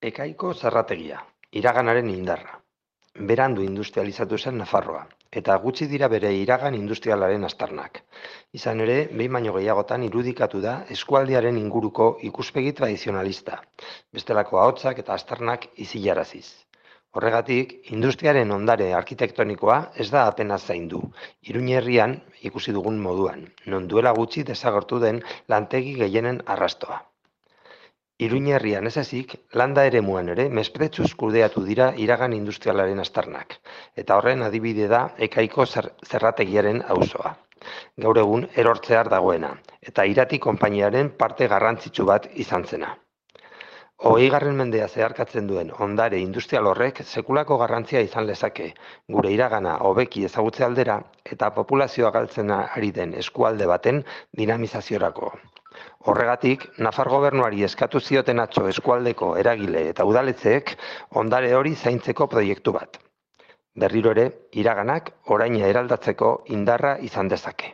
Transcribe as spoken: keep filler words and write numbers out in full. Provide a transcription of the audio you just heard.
Ekaiko zerrategia, iraganaren indarra. Berandu industrializatu zen Nafarroa, eta gutxi dira bere iragan industrialaren aztarnak. Izan ere, behin baino gehiagotan irudikatu da eskualdearen inguruko ikuspegi tradizionalista, bestelako ahotsak eta aztarnak izilaraziz. Horregatik, industriaren ondare arkitektonikoa ez da apenas zaindu, Iruñe herrian ikusi dugun moduan, non duela gutxi desagertu den lantegi gehienen arrastoa. Iruñe herrian ez ezik, landa eremuan ere mesprezuz kudeatu dira iragan industrialaren aztarnak, eta horren adibide da Ekaiko zer zerrategiaren auzoa. Gaur egun erortzear dagoena, eta Irati konpainiaren parte garrantzitsu bat izan zena. Hogeigarren mendea zeharkatzen duen ondare industrial horrek sekulako garrantzia izan lezake, gure iragana hobeki ezagutze aldera eta populazioa galtzen ari den eskualde baten dinamizaziorako. Horregatik, Nafar gobernuari eskatu zioten atzo eskualdeko eragile eta udaletzeek ondare hori zaintzeko proiektu bat. Berriro ere, iraganak oraina eraldatzeko indarra izan dezake.